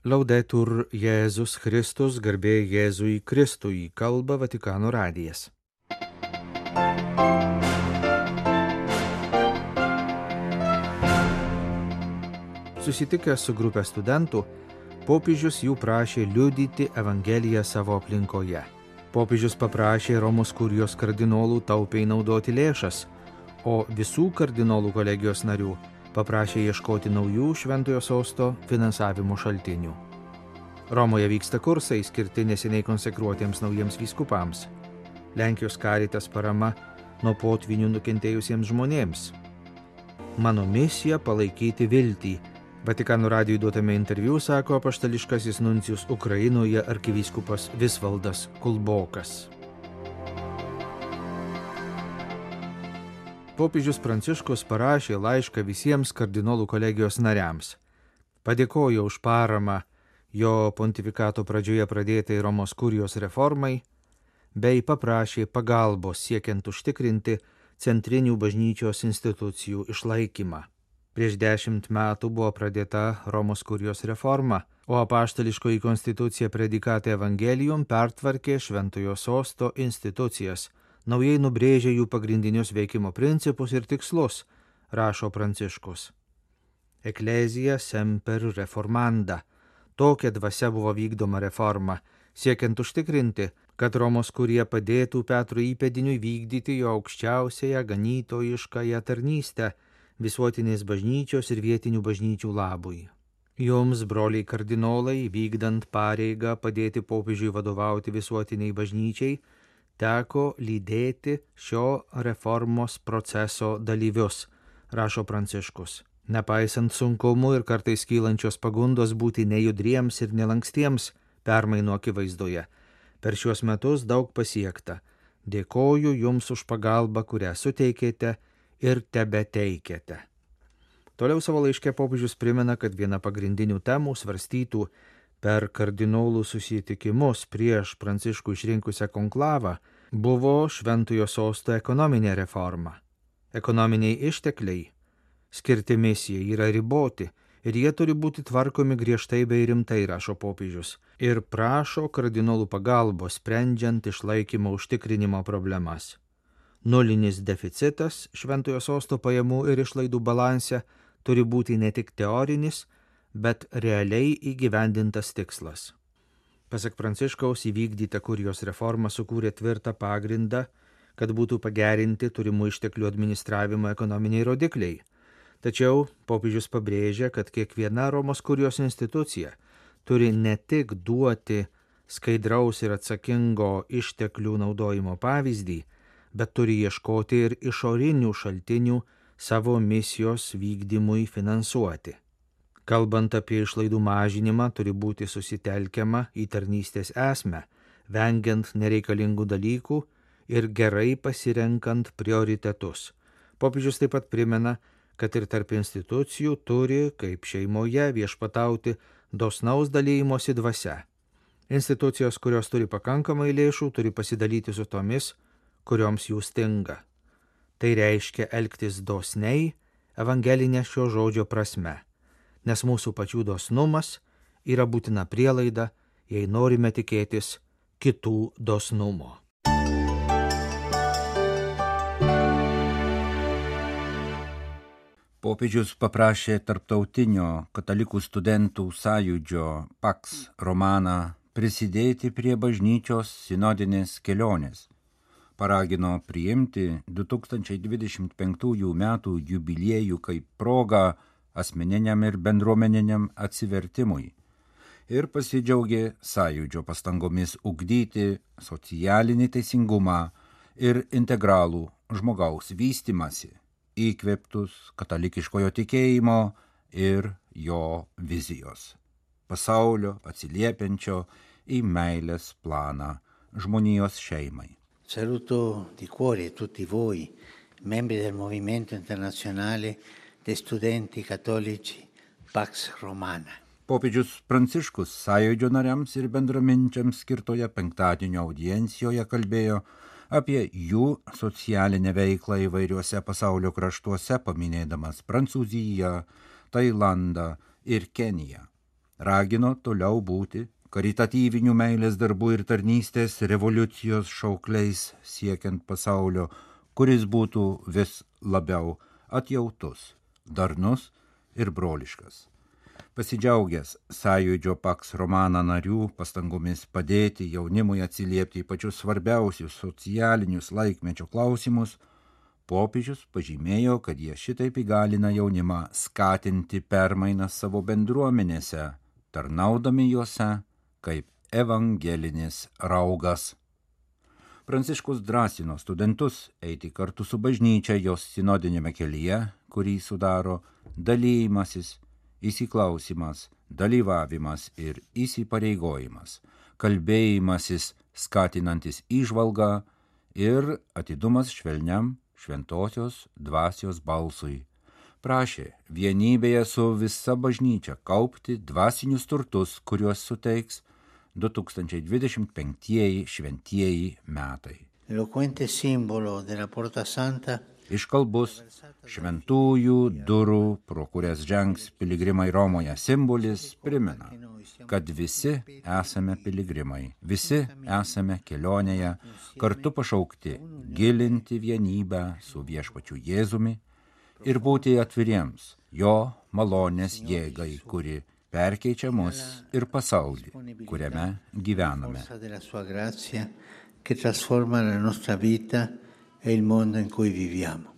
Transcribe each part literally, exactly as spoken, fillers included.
Laudetur Jėzus Kristus, garbė Jėzui Kristui, kalba Vatikano radijas. Susitikęs su grupė studentų, popiežius jų prašė liudyti Evangeliją savo aplinkoje. Popiežius paprašė Romos kurijos kardinolų taupiai naudoti lėšas, o visų kardinolų kolegijos narių paprašė ieškoti naujų Šventojo Sosto finansavimo šaltinių. Romoje vyksta kursai skirti neseniai konsekruotiems naujiems vyskupams. Lenkijos Caritas parama nuo potvinių nukentėjusiems žmonėms. Mano misija palaikyti viltį. Vatikano radijui duotame interviu sako apaštališkasis nuncijus Ukrainoje arkivyskupas Visvaldas Kulbokas. Popiežius Pranciškus parašė laišką visiems kardinolų kolegijos nariams. Padėkojo už paramą jo pontifikato pradžioje pradėtai Romos kurijos reformai, bei paprašė pagalbos siekiant užtikrinti centrinių bažnyčios institucijų išlaikymą. Prieš dešimt metų buvo pradėta Romos kurijos reforma, o apaštališkoji konstitucija Predikate Evangelium pertvarkė Šventojo Sosto institucijas, naujai nubrėžė jų pagrindinius veikimo principus ir tikslus, rašo Pranciškus. Ecclesia semper reformanda. Tokia dvasia buvo vykdoma reforma, siekiant užtikrinti, kad Romos kurija padėtų Petro įpėdiniui vykdyti jo aukščiausiąją ganytojiškąją tarnystę visuotinės bažnyčios ir vietinių bažnyčių labui. Jums, broliai kardinolai, vykdant pareigą padėti popiežiui vadovauti visuotiniai bažnyčiai, teko lydėti šio reformos proceso dalyvius, rašo Pranciškus. Nepaisant sunkumų ir kartais kylančios pagundos būti nejudriems ir nelankstiems permainų akivaizdoje, per šiuos metus daug pasiekta. Dėkoju jums už pagalbą, kurią suteikėte ir tebeteikėte. Toliau savo laiške popiežius primena, kad viena pagrindinių temų svarstytų per kardinolų susitikimus prieš Pranciškų išrinkusią konklavą buvo Šventojo Sosto ekonominė reforma. Ekonominiai ištekliai skirti misijai yra riboti ir jie turi būti tvarkomi griežtai bei rimtai, rašo popiežius, ir prašo kardinolų pagalbos sprendžiant išlaikymo užtikrinimo problemas. Nulinis deficitas Šventojo Sosto pajamų ir išlaidų balanse turi būti ne tik teorinis, bet realiai įgyvendintas tikslas. Pasak Pranciškaus, įvykdyta kurijos reforma sukūrė tvirtą pagrindą, kad būtų pagerinti turimų išteklių administravimo ekonominiai rodikliai. Tačiau popiežius pabrėžia, kad kiekviena Romos kurijos institucija turi ne tik duoti skaidraus ir atsakingo išteklių naudojimo pavyzdį, bet turi ieškoti ir išorinių šaltinių savo misijos vykdymui finansuoti. Kalbant apie išlaidų mažinimą, turi būti susitelkiama į tarnystės esmę, vengiant nereikalingų dalykų ir gerai pasirenkant prioritetus. Popiežius taip pat primena, kad ir tarp institucijų turi, kaip šeimoje, viešpatauti dosnaus dalymosi dvasia. Institucijos, kurios turi pakankamai lėšų, turi pasidalyti su tomis, kurioms jų stinga. Tai reiškia elgtis dosniai evangelinė šio žodžio prasme, nes mūsų pačių dosnumas yra būtina prielaida, jei norime tikėtis kitų dosnumo. Popiežius paprašė tarptautinio katalikų studentų sąjūdžio Pax Romana prisidėti prie bažnyčios sinodinės kelionės. Paragino priimti du tūkstančiai dvidešimt penktųjų metų jubiliejų kaip progą asmeniniam ir bendruomeniniam atsivertimui ir pasidžiaugė sąjūdžio pastangomis ugdyti socialinį teisingumą ir integralų žmogaus vystymąsi, įkvėptus katalikiškojo tikėjimo ir jo vizijos, pasaulio atsiliepiančio į meilės planą žmonijos šeimai. Saluto di cuore tutti voi, membri del Movimento Internazionale dei Studenti Cattolici Pax Romana. Popiežius Pranciškus sąjūdžio nariams ir bendraminčiams skirtoje penktadienio audiencijoje kalbėjo apie jų socialinę veiklą įvairiuose pasaulio kraštuose, paminėdamas Prancūziją, Tailandą ir Keniją. ragino toliau būti karitatyvinių meilės darbų ir tarnystės revoliucijos šaukliais siekiant pasaulio, kuris būtų vis labiau atjautus, darnus ir broliškas. Pasidžiaugęs Sąjūdžio Pax Romana narių pastangomis padėti jaunimui atsiliepti į pačius svarbiausius socialinius laikmečio klausimus, popiežius pažymėjo, kad jie šitaip įgalina jaunimą skatinti permainas savo bendruomenėse, tarnaudami juose kaip evangelinis raugas. Pranciškus drąsino studentus eiti kartu su bažnyčia jos sinodinėme kelyje, kurį sudaro dalymasis, įsiklausimas, dalyvavimas ir įsipareigojimas, kalbėjimasis skatinantis įžvalgą ir atidumas švelniam šventosios dvasios balsui. Prašė vienybėje su visa bažnyčia kaupti dvasinius turtus, kuriuos suteiks du tūkstančiai dvidešimt penktieji šventieji metai. Eloquente simbolo della Porta Santa, Iškalbus šventųjų durų, pro kurias žengs piligrimai Romoje simbolis, primena, kad visi esame piligrimai, visi esame kelionėje, kartu pašaukti gilinti vienybę su viešpačiu Jėzumi ir būti atviriems jo malonės jėgai, kuri perkeičia mus ir pasaulį, kuriame gyvename. Che trasforma la nostra vita e il mondo in cui viviamo.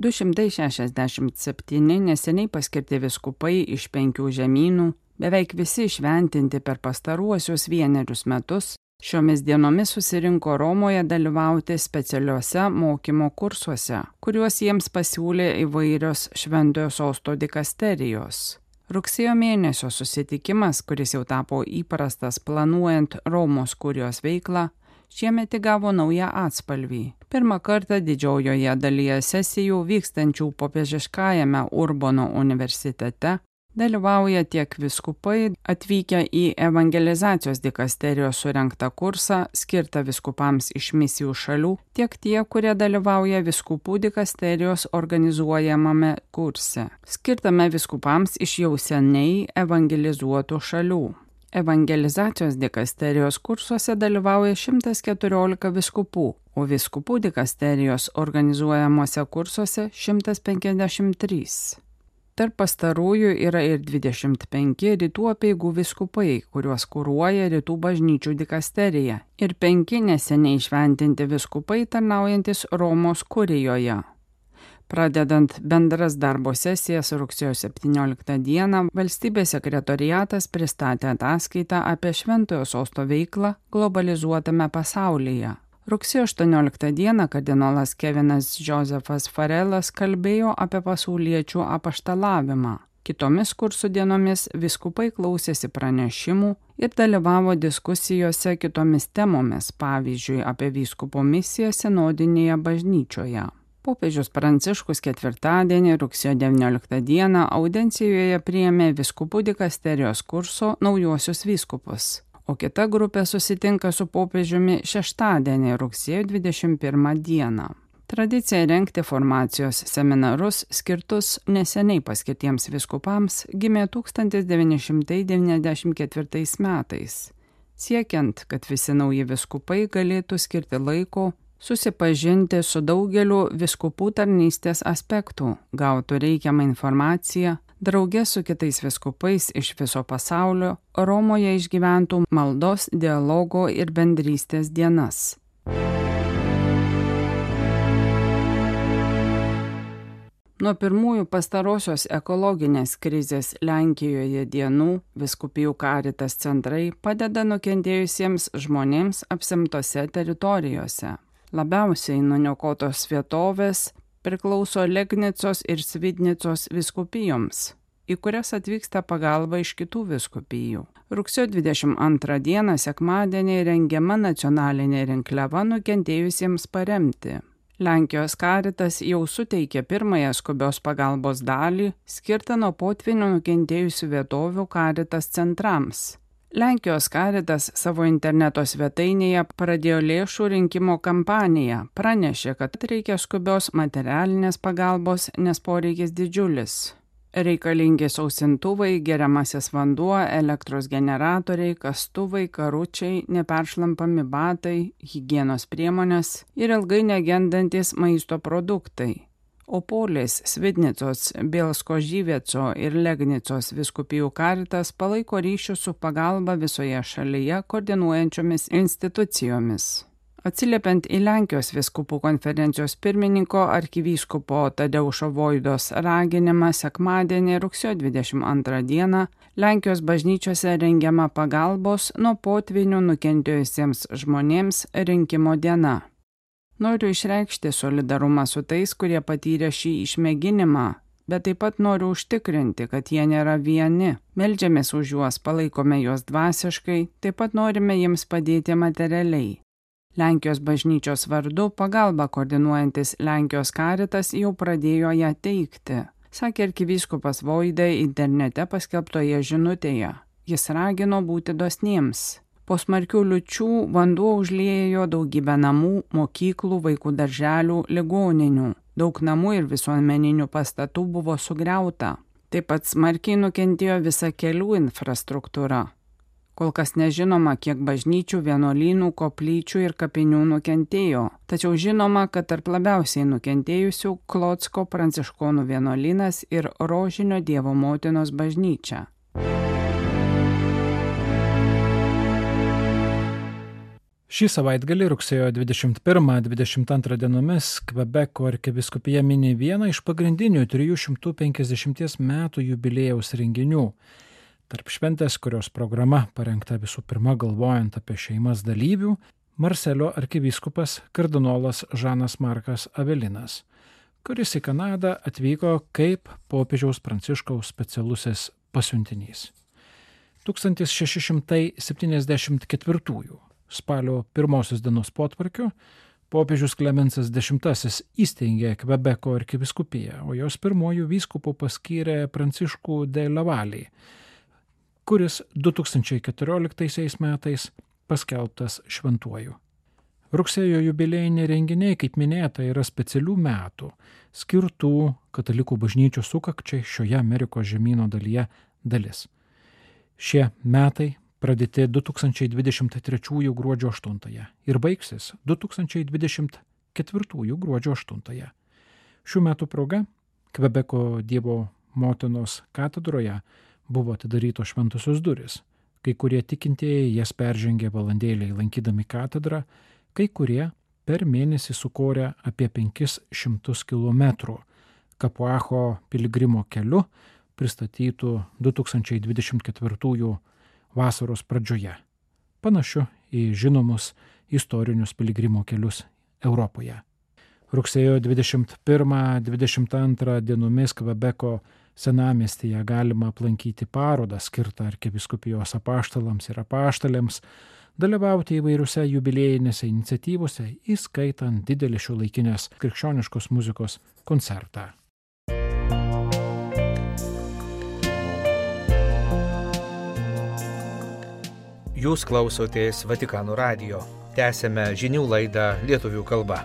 du šimtai šešiasdešimt septyni neseniai paskirti vyskupai iš penkių žemynų, beveik visi šventinti per pastaruosius vienerius metus, šiomis dienomis susirinko Romoje dalyvauti specialiuose mokymo kursuose, kuriuos jiems pasiūlė įvairios Šventojo Sosto dikasterijos. Rugsėjo mėnesio susitikimas, kuris jau tapo įprastas planuojant Romos kurijos veiklą, šiemet įgavo naują atspalvį. Pirmą kartą didžiojoje dalyje sesijų vykstančių popiežiškajame Urbono universitete dalyvauja tiek vyskupai atvykę į evangelizacijos dikasterijos surengtą kursą skirtą vyskupams iš misijų šalių, tiek tie, kurie dalyvauja vyskupų dikasterijos organizuojamame kurse, skirtame vyskupams iš jau seniai evangelizuotų šalių. Evangelizacijos dikasterijos kursuose dalyvauja šimtas keturiolika vyskupų, o vyskupų dikasterijos organizuojamuose kursuose šimtas penkiasdešimt trys. Tarp pastarųjų yra ir dvidešimt penki rytų apeigų vyskupai, kuriuos kuruoja rytų bažnyčių dikasterija, ir penki neseniai šventinti vyskupai tarnaujantis Romos kurijoje. Pradedant bendras darbo sesijas rugsėjo septynioliktą dieną, valstybės sekretoriatas pristatė ataskaitą apie Šventojo Sosto veiklą globalizuotame pasaulyje. Rugsėjo aštuonioliktą dieną kardinolas Kevinas Josefas Farelas kalbėjo apie pasauliečių apaštalavimą. Kitomis kursų dienomis vyskupai klausėsi pranešimų ir dalyvavo diskusijose kitomis temomis, pavyzdžiui, apie vyskupo misiją sinodinėje bažnyčioje. Popiežius Pranciškus ketvirtadienį rugsėjo devynioliktą dieną audiencijoje priėmė vyskupų dikasterijos kurso naujuosius vyskupus, o kita grupė susitinka su popiežiumi šeštadienį rugsėjo dvidešimt pirmą dieną. Tradicija rengti formacijos seminarus skirtus neseniai paskirtiems vyskupams gimė tūkstantis devyni šimtai devyniasdešimt ketvirtais metais, siekiant, kad visi nauji vyskupai galėtų skirti laiko susipažinti su daugeliu vyskupų tarnystės aspektų, gautų reikiamą informaciją, drauge su kitais vyskupais iš viso pasaulio Romoje išgyventų maldos, dialogo ir bendrystės dienas. Nuo pirmųjų pastarosios ekologinės krizės Lenkijoje dienų vyskupijų Caritas centrai padeda nukentėjusiems žmonėms apsemtose teritorijose. Labiausiai nuniokotos vietovės priklauso Legnicos ir Svidnicos vyskupijoms, į kurias atvyksta pagalba iš kitų vyskupijų. Rugsėjo dvidešimt antrą dieną sekmadienį rengiama nacionalinė rinkliava nukentėjusiems paremti. Lenkijos Caritas jau suteikė pirmąją skubios pagalbos dalį, skirtą nuo potvynių nukentėjusių vietovių Caritas centrams. Lenkijos Caritas savo interneto svetainėje pradėjo lėšų rinkimo kampaniją, pranešė, kad reikia skubios materialinės pagalbos, nes poreikis didžiulis. Reikalingi sausintuvai, geriamasis vanduo, elektros generatoriai, kastuvai, karučiai, neperšlampami batai, higienos priemonės ir ilgai negendantis maisto produktai. Opolės, Svidnicos, Bielsko-Žyvieco ir Legnicos vyskupijų Caritas palaiko ryšius su pagalba visoje šalyje koordinuojančiomis institucijomis. Atsiliepiant į Lenkijos vyskupų konferencijos pirmininko arkivyskupo Tadeušo Voidos raginimą sekmadienį rugsėjo dvidešimt antrą dieną Lenkijos bažnyčiose rengiama pagalbos nuo potvynių nukentėjusiems žmonėms rinkimo diena. Noriu išreikšti solidarumą su tais, kurie patyrė šį išmėginimą, bet taip pat noriu užtikrinti, kad jie nėra vieni. Meldžiamės už juos, palaikome juos dvasiškai, taip pat norime jiems padėti materialiai. Lenkijos bažnyčios vardu pagalba koordinuojantis Lenkijos Caritas jau pradėjo ją teikti, sakė arkivyskupas Voida internete paskelbtoje žinutėje. Jis ragino būti dosniems. Po smarkių liūčių vanduo užliejo daugybę namų, mokyklų, vaikų darželių, ligoninių. Daug namų ir visuomeninių pastatų buvo sugriauta. Taip pat smarkiai nukentėjo visa kelių infrastruktūra. Kol kas nežinoma, kiek bažnyčių, vienuolynų, koplyčių ir kapinių nukentėjo. Tačiau žinoma, kad tarp labiausiai nukentėjusių Klocko pranciškonų vienuolynas ir Rožinio Dievo motinos bažnyčia. Šį savaitgalį rugsėjo dvidešimt pirmą dvidešimt antrą dienomis Kvebeko arkivyskupija mini vieną iš pagrindinių trijų šimtų penkiasdešimties metų jubiliejaus renginių. Tarp šventės, kurios programa parengta visų pirma galvojant apie šeimas dalyvių, Marselio arkivyskupas kardinolas Žanas Markas Avelinas, kuris į Kanadą atvyko kaip popiežiaus Pranciškaus specialusis pasiuntinys. tūkstantis šeši šimtai septyniasdešimt ketvirtųjų spalio pirmosios dienos potvarkiu popiežius Klemensas X įsteigė Kvebeko arkivyskupiją, o jos pirmojų vyskupų paskyrė Pranciškų de Lavalį, kuris du tūkstančiai keturioliktaisiais metais paskelbtas šventuoju. Rugsėjo jubiliejiniai renginiai, kaip minėta, yra specialių metų, skirtų katalikų bažnyčių sukakčiai šioje Amerikos žemyno dalyje dalis. Šie metai pradėti du tūkstančiai dvidešimt trečiųjų gruodžio aštuntąją ir baigsis du tūkstančiai dvidešimt ketvirtųjų gruodžio aštuntąją. Šių metų proga Kvebeko Dievo motinos katedroje buvo atidarytos šventosios duris. Kai kurie tikintieji jas peržengė valandėliai lankydami katedrą, kai kurie per mėnesį sukorė apie penkis šimtus kilometrų Kapuacho piligrimo keliu pristatytų du tūkstančiai dvidešimt ketvirtųjų vasaros pradžioje, panašiu į žinomus istorinius piligrimo kelius Europoje. Rugsėjo dvidešimt pirmą dvidešimt antrą dienomis Kvebeko senamiestyje galima aplankyti parodą skirtą arkivyskupijos apaštalams ir apaštalėms, dalyvauti įvairiuose jubiliejinėse iniciatyvose, įskaitant didelį šiuolaikinės krikščioniškos muzikos koncertą. Jūs klausotės Vatikano radijo. Tęsėme žinių laidą lietuvių kalba.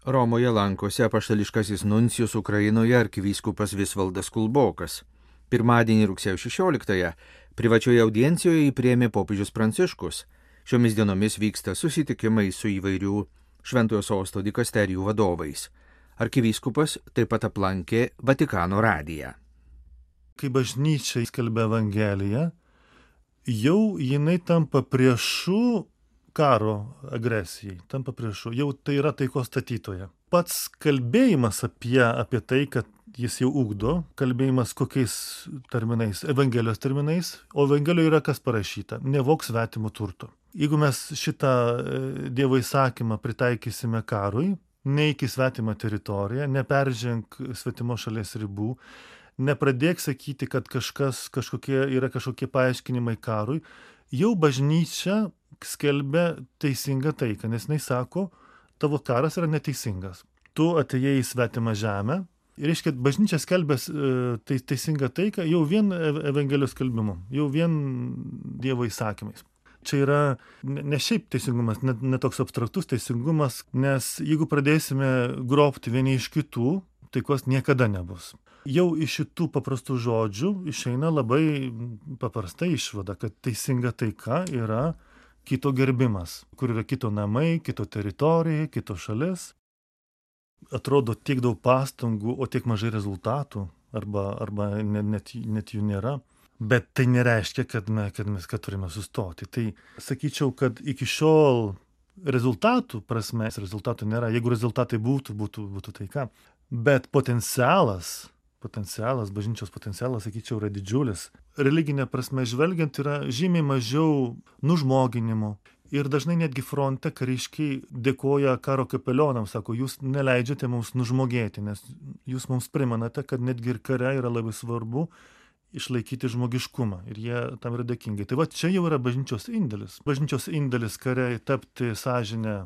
Romoje lankosi apaštališkasis nuncijus Ukrainoje arkivyskupas Visvaldas Kulbokas. Pirmadienį rugsėjo šešioliktąją privačioje audiencijoje jį priėmė popiežius Pranciškus. Šiomis dienomis vyksta susitikimai su įvairių Šventojo sosto dikasterijų vadovais. Arkivyskupas taip pat aplankė Vatikano radiją. Kai bažnyčia skelbia Evangeliją, jau jinai tampa priešu karo agresijai, tampa priešu, jau tai yra taikos statytoja. Pats kalbėjimas apie, apie tai, kad jis jau ugdo, kalbėjimas kokiais terminais, Evangelijos terminais, o Evangelijoje yra kas parašyta, nevok svetimo turto. Jeigu mes šitą Dievo įsakymą pritaikysime karui, neik į svetimą teritoriją, neperženk svetimo šalies ribų, nepradėk sakyti, kad kažkas, kažkokie, yra kažkokie paaiškinimai karui, jau bažnyčia skelbia teisingą taiką, nes jinai sako, tavo karas yra neteisingas. Tu atėjai į svetimą žemę, Ir reiškia, bažnyčia skelbės tai, teisingą taiką jau vien Evangelijos skelbimu, jau vien Dievo įsakymais. Čia yra ne šiaip teisingumas, ne, ne toks abstraktus teisingumas, nes jeigu pradėsime grobti vieni iš kitų, taikos niekada nebus. Jau iš šitų paprastų žodžių išeina labai paprasta išvada, kad teisinga taika yra kito gerbimas, kur yra kito namai, kito teritorija, kito šalis. Atrodo tiek daug pastangų, o tiek mažai rezultatų, arba, arba net, net jų nėra. Bet tai nereiškia, kad, me, kad mes kad turime sustoti. Tai sakyčiau, kad iki šiol rezultatų prasme, rezultatų nėra. Jeigu rezultatai būtų, būtų, būtų taika. Bet potencialas, potencialas, bažnyčios potencialas, sakyčiau, yra didžiulis. Religinė prasme žvelgiant yra žymiai mažiau nužmoginimo. Ir dažnai netgi fronte kariškiai dėkoja karo kapelionams, sako, jūs neleidžiate mums nužmogėti, nes jūs mums primenate, kad netgi ir kare yra labai svarbu išlaikyti žmogiškumą ir jie tam yra dėkingi. Tai va čia jau yra bažnyčios indėlis. Bažnyčios indėlis kare tapti sąžinę.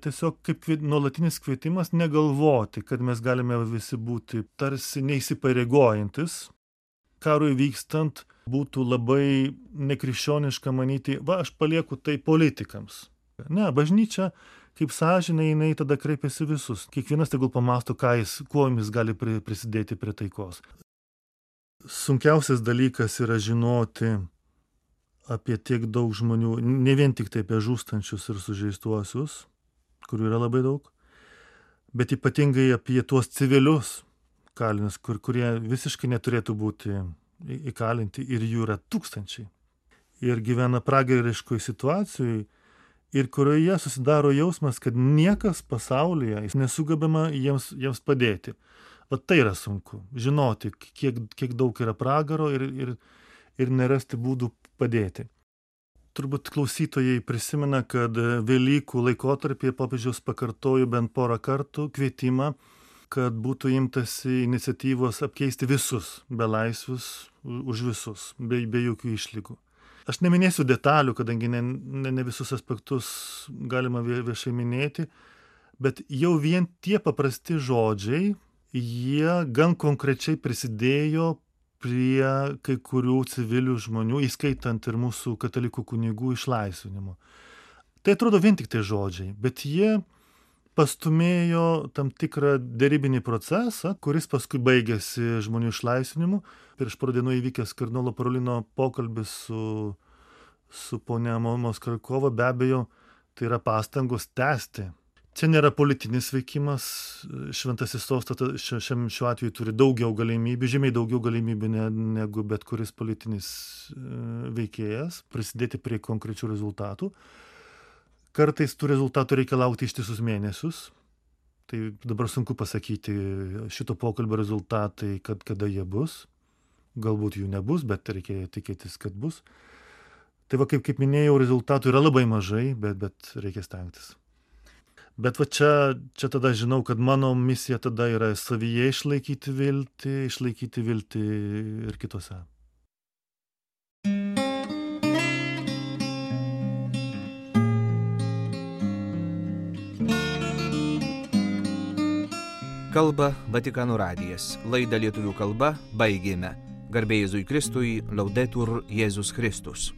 Tiesiog kaip nuolatinis kvietimas negalvoti, kad mes galime visi būti tarsi neįsipareigojantis. Karui vykstant būtų labai nekrikščioniška manyti, va, aš palieku tai politikams. Ne, bažnyčia, kaip sąžinė, jinai tada kreipiasi visus. Kiekvienas tegul pamąsto, ką jis, kuo jis gali prisidėti prie taikos. Sunkiausias dalykas yra žinoti apie tiek daug žmonių, ne vien tik tai apie žūstančius ir sužeistuosius, kurių yra labai daug, bet ypatingai apie tuos civilius kalinius, kur, kurie visiškai neturėtų būti įkalinti ir jų yra tūkstančiai. Ir gyvena pragariškoj situacijoj ir kurioje susidaro jausmas, kad niekas pasaulyje nesugebama jiems, jiems padėti. O tai yra sunku. Žinoti, kiek, kiek daug yra pragaro ir, ir, ir nerasti būdų padėti. Turbūt klausytojai prisimena, kad Velykų laikotarpyje popiežius pakartojo bent porą kartų kvietimą, kad būtų imtasi iniciatyvos apkeisti visus belaisvius už visus, be, be jokių išlygų. Aš neminėsiu detalių, kadangi ne, ne, ne visus aspektus galima viešai minėti, bet jau vien tie paprasti žodžiai, jie gan konkrečiai prisidėjo prie kai kurių civilių žmonių, įskaitant ir mūsų katalikų kunigų išlaisvinimo. Tai atrodo vien tik tai žodžiai, bet jie pastumėjo tam tikrą derybinį procesą, kuris paskui baigėsi žmonių išlaisvinimu. Prieš porą dienų įvykęs kardinolo Parolino pokalbis su, su ponia Moskarkova, be abejo, tai yra pastangos tęsti. Čia nėra politinis veikimas, šventasis sostas šiam, šiuo atveju turi daugiau galimybių, žymiai daugiau galimybių ne, negu bet kuris politinis veikėjas, prisidėti prie konkrečių rezultatų. Kartais tų rezultatų reikia laukti ištisus mėnesius. Tai dabar sunku pasakyti šito pokalbio rezultatai, kad kada jie bus. Galbūt jų nebus, bet reikia tikėtis, kad bus. Tai va, kaip, kaip minėjau, rezultatų yra labai mažai, bet, bet reikia stengtis. Bet va čia, čia tada žinau, kad mano misija tada yra savyje išlaikyti viltį, išlaikyti viltį ir kitose. Kalba Vatikano radijas. Laidą lietuvių kalba baigėme. Garbė Jėzui Kristui, Laudetur Jėzus Kristus.